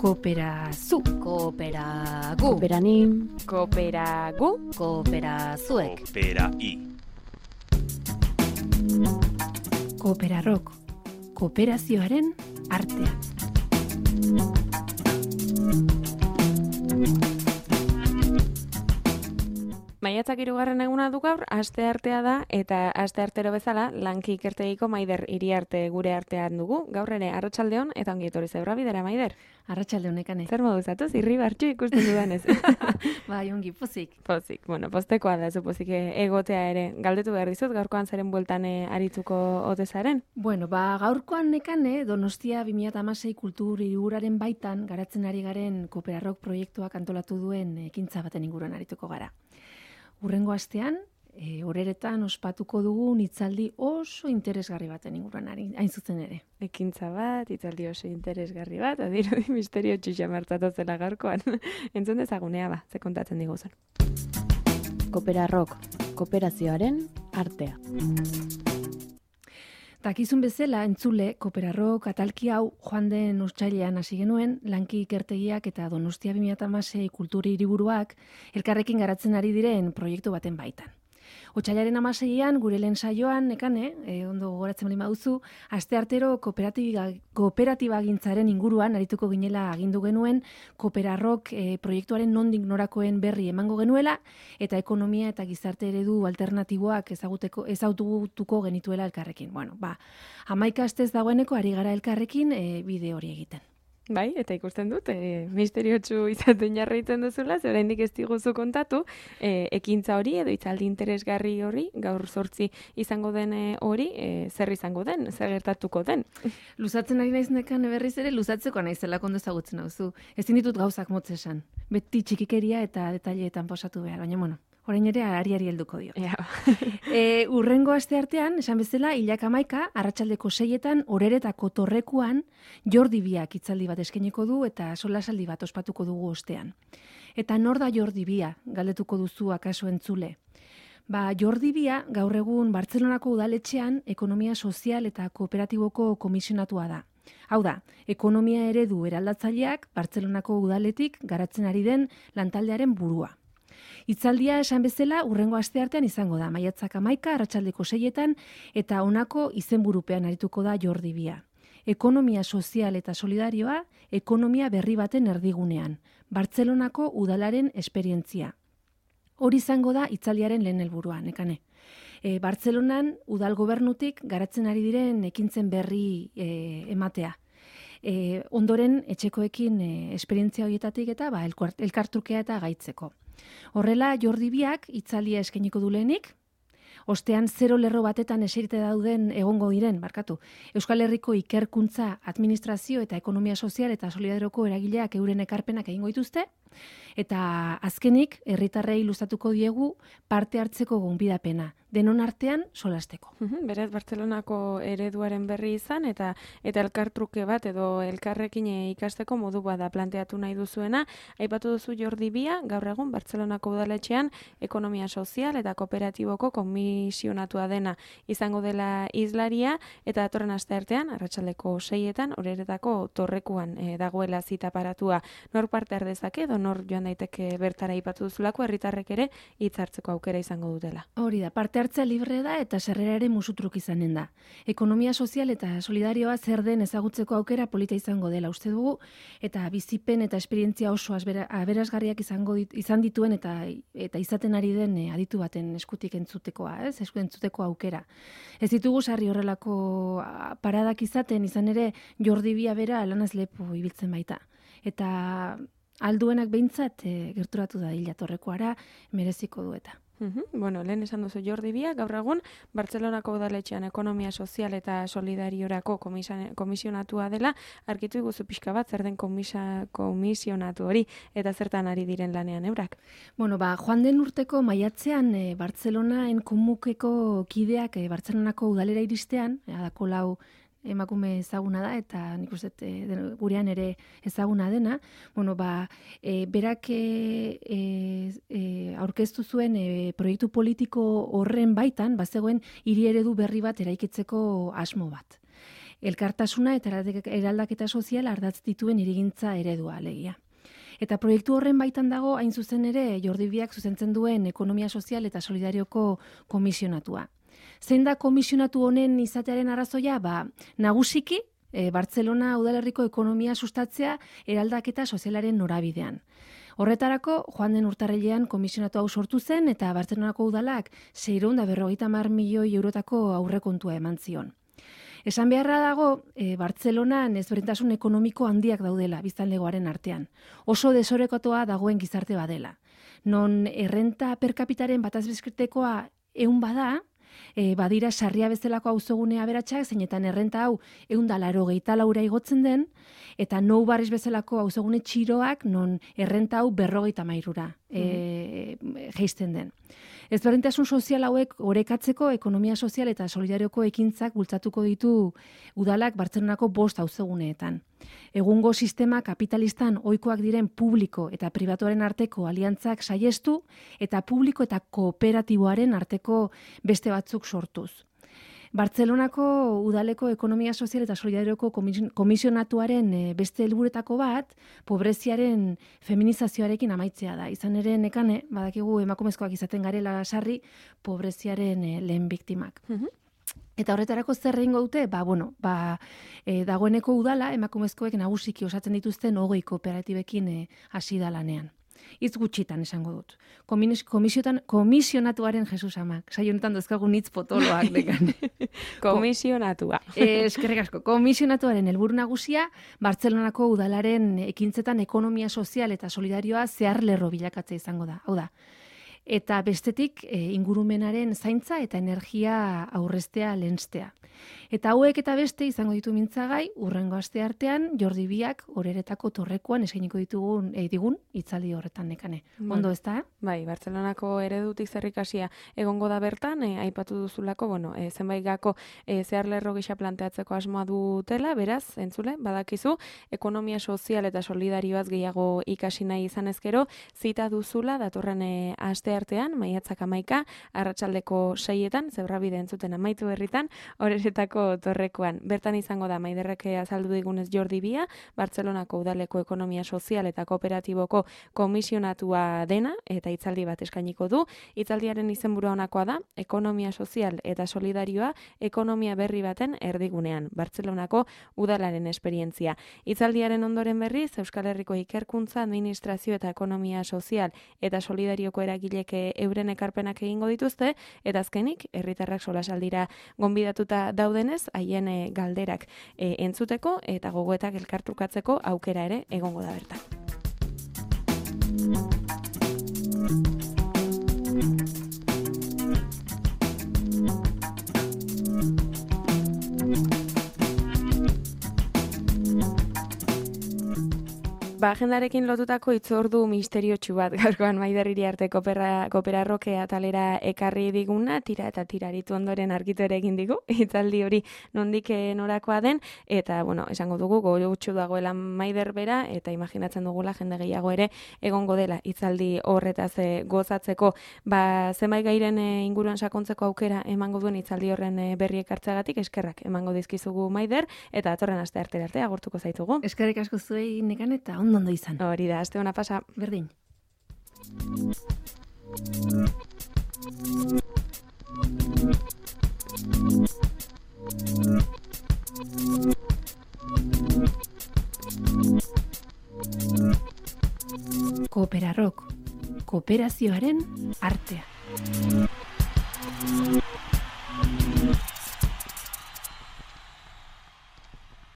Kooperazu, kooperagu, Kooperanim, Kooperagu, kooperazuek, Koopera-i. Kooperarok, kooperazioaren artea. Maiatzak 3. eguna du gaur, asteartea da, eta asteartero bezala, lanki ikertegiko Maider Iriarte gure artean dugu. Gaur ere, arratsaldeon eta ongi etorri zeura bidera, Maider. Arratsalde honekane. Zer modu zatuz, irri bartxu ikusten dudanez. Bai, ongi, pozik. Pozik, bueno, postekoa da, pozik egotea ere. Galdetu behar dizut, gaurkoan zaren bueltan arituko ote zaren? Bueno, gaurkoan nekane, Donostia 2016 kultur hiriburaren baitan, garatzen ari garen Kooperarok proiektuak antolatu duen ekintza baten inguruan arituko gara. Hurrengo astean, horeretan ospatuko dugun hitzaldi oso interesgarri baten inguruan hain zuzen ere. Ekintza bat, hitzaldi oso interesgarri bat, adirudi misterio txuxa martatu zela gaurkoan. Entzun dezagunea ba, ze kontatzen diguzun. Kooperarok, kooperazioaren artea. Dakizun bezala, entzule, Kooperarok atalki hau joan den otsailean hasi genuen, lanki ikertegiak eta Donostia 2016 kultur hiriburuak elkarrekin garatzen ari diren proiektu baten baitan. Otsailaren 16an, gure lehen saioan, nekane, ondo gogoratzen bali baduzu, asteartero kooperatibagintzaren inguruan arituko ginela agindu genuen, Kooperarok proiektuaren nondik norakoen berri emango genuela, eta ekonomia eta gizarte eredu alternatiboak ezagutuko genituela elkarrekin. Bueno, 11 astez dagoeneko ari gara elkarrekin bide hori egiten. Bai, eta ikusten dut, misteriotsu izaten jarraitzen duzula, ze oraindik ez diguzu kontatu, ekintza hori edo hitzaldi interesgarri hori, gaur 8 izango den hori, zer izango den, zer gertatuko den. Luzatzen ari naiz nekan berriz ere, luzatzeko naizela kondo ezagutzen hauzu. Ezin ditut gauzak motz esan. Beti txikikeria eta detaileetan posatu behar, baina bueno. Orain ere ariari helduko dio. Urrengo asteartean, esan bezala, 11 arratsaldeko 6etan Horeretako Torrekuan Jordi Biak hitzaldi bat eskainiko du eta solasaldi bat ospatuko dugu ostean. Eta nor da Jordi Bia, galdetuko duzu akaso entzule. Jordi Bia gaur egun Bartzelonako udaletxean ekonomia sozial eta kooperatiboko komisionatua da. Hau da, ekonomia eredu eraldatzaileak Bartzelonako udaletik garatzen ari den lantaldearen burua. Hitzaldia esan bezala urrengo asteartean izango da, maiatzak 11 arratsaldeko 6etan eta honako izenburupean arituko da Jordi Bia. Ekonomia sozial eta solidarioa, ekonomia berri baten erdigunean. Bartzelonako udalaren esperientzia. Hori izango da hitzaldiaren lehen helburua, nekane. Bartzelonan udal gobernutik garatzen ari diren ekintzen berri ematea. Ondoren etxekoekin esperientzia horietatik eta elkartrukea eta gaitzeko. Horrela, Jordi Biak hitzaldia eskainiko du lehenik, ostean 0 lerro batetan eserite dauden egongo diren, Euskal Herriko ikerkuntza, administrazio eta ekonomia sozial eta solidarioko eragileak euren ekarpenak egingo dituzte, eta azkenik, herritarrei luzatuko diegu parte hartzeko gonbidapena, denon artean solasteko. Beraz, Bartzelonako ereduaren berri izan, eta elkartruke bat edo elkarrekin ikasteko modu bada planteatu nahi duzuena. Aipatu duzu Jordi Bia, gaur egun Bartzelonako udaletxean ekonomia sozial eta kooperatiboko komisionatua dena izango dela hizlaria, eta datorren asteartean, arratsaldeko 6etan, Horeretako Torrekuan dagoela zita paratua. Nor parte har dezake edo nor joan daiteke bertara aipatu duzulako, herritarrek ere hitz hartzeko aukera izango dutela. Hori da, parte hartzea libre da eta sarrera ere musutruk izanen da. Ekonomia sozial eta solidarioa zer den ezagutzeko aukera polita izango dela uste dugu, eta bizipen eta esperientzia oso aberasgarriak izan dituen eta izaten ari den aditu baten eskutik entzutekoa, entzuteko aukera. Ez ditugu sarri horrelako paradak izan ere Jordi Bia bera lanaz lepo ibiltzen baita. Eta alduenak behintzat gerturatu da hila Torrekoara mereziko du eta. Bueno, lehen esan duzu Jordi Bia, gaur egun Bartzelonako udaletxean ekonomia sozial eta solidariorako komisionatua dela, argitu iguzu pixka bat zer den komisionatu hori eta zertan ari diren lanean eurak. Bueno, joan den urteko maiatzean Bartzelonaen komukeko kideak Bartzelonako udalera iristean, adako lau emakume ezaguna da eta nik uste gurean ere ezaguna dena, berak aurkeztu zuen proiektu politiko horren baitan, bazegoen hiri eredu berri bat eraikitzeko asmo bat. elkartasuna eta eraldaketa sozial ardatz dituen hirigintza eredua alegia. Eta proiektu horren baitan dago hain zuzen ere Jordi Biak zuzentzen duen ekonomia sozial eta solidarioko komisionatua. Zein da komisionatu honen izatearen arrazoia? Nagusiki Bartzelona udalerriko ekonomia sustatzea eraldaketa sozialaren norabidean. Horretarako, joan den urtarrilean komisionatu hau sortu zen eta Bartzelonako udalak 650 milioi eurotako aurrekontua eman zion. Esan beharra dago, Bartzelonan ezberdintasun ekonomiko handiak daudela biztanlegoaren artean. Oso desorekatoa dagoen gizarte badela. Non errenta per capitaren bataz bezketekoa 100 bada, badira sarria bezalako auzogune aberatsak, zeinetan errenta hau 184 igotzen den, eta Nou Barris bezalako auzogune txiroak non errenta hau 53ra jaisten den. Ezberdintasun sozial hauek orekatzeko ekonomia sozial eta solidarioko ekintzak bultzatuko ditu udalak Bartzelonako 5 auzoguneetan. Egungo sistema kapitalistan ohikoak diren publiko eta pribatuaren arteko aliantzak saiestu eta publiko eta kooperatiboaren arteko beste batzuk sortuz. Bartzelonako udaleko ekonomia sozial eta solidarioko komisionatuaren beste helburetako bat, pobreziaren feminizazioarekin amaitzea da. Izan ere nekane, badakigu emakumezkoak izaten garela sarri, pobreziaren lehen biktimak. Eta horretarako zer egingo dute? Dagoeneko udala emakumezkoek nagusiki osatzen dituzten 20 kooperatibekin hasi da lanean. Hitz gutxitan esango dut. Komisionatuaren Jesus amak. Saio honetan dozkagun hitz potoloak dekan. Komisionatua. Eskerrik asko. Komisionatuaren helburu nagusia Bartzelonako udalaren ekintzetan ekonomia sozial eta solidarioa zeharlerro bilakatzea izango da. Hau da. Eta bestetik ingurumenaren zaintza eta energia aurreztea lehenstea. Eta hauek eta beste izango ditu mintzagai, urrengo aste artean Jordi Biak Oreretako torrekuan eskainiko digun hitzaldi horretan nekane. Ondo ez da? Bai, Bartzelonako eredutik zerrikasia egongo da bertan, aipatu duzulako, zenbait gako zeharlerro gisa planteatzeko asmoa dutela, beraz, entzule, badakizu, ekonomia sozial eta solidarioaz gehiago ikasi nahi izan ezkero, zita duzula datorren aste artean, maiatzak 11, arratsaldeko 6etan, Zebrabide entzuten amaitu berritan, Oreretako torrekuan. Bertan izango da Maiderrek azaldu digunez Jordi Bia, Bartzelonako udaleko ekonomia sozial eta kooperatiboko komisionatua dena, eta hitzaldi bat eskainiko du. Hitzaldiaren izenburua honakoa da, ekonomia sozial eta solidarioa ekonomia berri baten erdigunean, Bartzelonako udalaren esperientzia. Hitzaldiaren ondoren berriz, Euskal Herriko ikerkuntza, administrazio eta ekonomia sozial eta solidarioko eragilek euren ekarpenak egingo dituzte, eta azkenik, herritarrak solasaldira gonbidatuta daudenez, haien galderak entzuteko eta gogoetak elkartrukatzeko aukera ere egongo da bertan. Agendarekin lotutako itzordu misteriotsu bat gaurkoan Maider Iriarte Kooperarroke atalera ekarri diguna, tira eta tiraritu ondoren argitu ere egin digu, hitzaldi hori nondik norakoa den, eta, esango dugu, gogotsu dagoela Maider bera, eta imaginatzen dugula jende gehiago ere egongo dela hitzaldi horretaz gozatzeko, zenbait gairen inguruan sakontzeko aukera emango duen hitzaldi horren berri ekartzeagatik, eskerrak emango dizkizugu Maider, eta datorren aste arte agurtuko zaitugu. Eskerrik asko zuei nekan eta ondo izan. Hori da, aste ona pasa. Berdin. Kooperarrok, kooperazioaren artea.